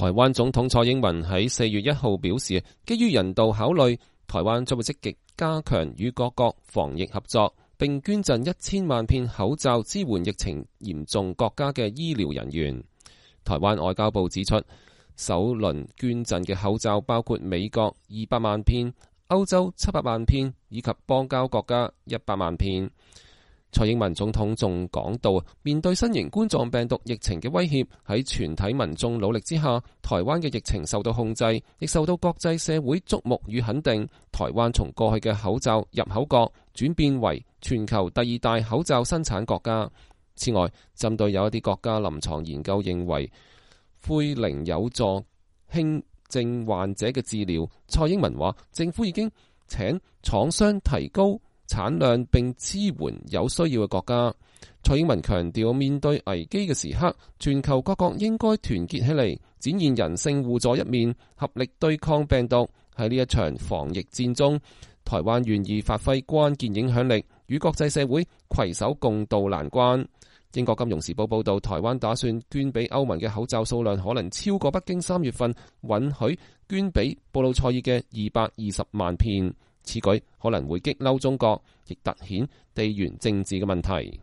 台灣總統蔡英文喺4月1號表示，基於人道考慮，台灣將會積極加強與各國防疫合作，並捐贈1000萬片口罩支援疫情嚴重國家嘅醫療人員。台灣外交部指出，首輪捐贈嘅口罩包括美國200萬片、歐洲700萬片以及邦交國家100萬片。蔡英文總統仲講到，面對新型冠狀病毒疫情嘅威脅，喺全體民眾努力之下，台灣嘅疫情受到控制，亦受到國際社會矚目與肯定。台灣從過去嘅口罩入口國轉變為全球第2大口罩生產國家。此外，針對有一啲國家臨床研究認為奎寧有助輕症患者嘅治療，蔡英文話政府已經請廠商提高產量並支援有需要嘅國家。蔡英文強調，面對危機嘅時刻，全球各國應該團結起嚟，展現人性互助一面，合力對抗病毒。喺呢一場防疫戰中，台灣願意發揮關鍵影響力，與國際社會攜手共度難關。英國金融時報報道，台灣打算捐俾歐盟嘅口罩數量可能超過北京3月份允許捐俾布魯塞爾嘅220萬片。此舉可能會激嬲中國，亦凸顯地緣政治嘅問題。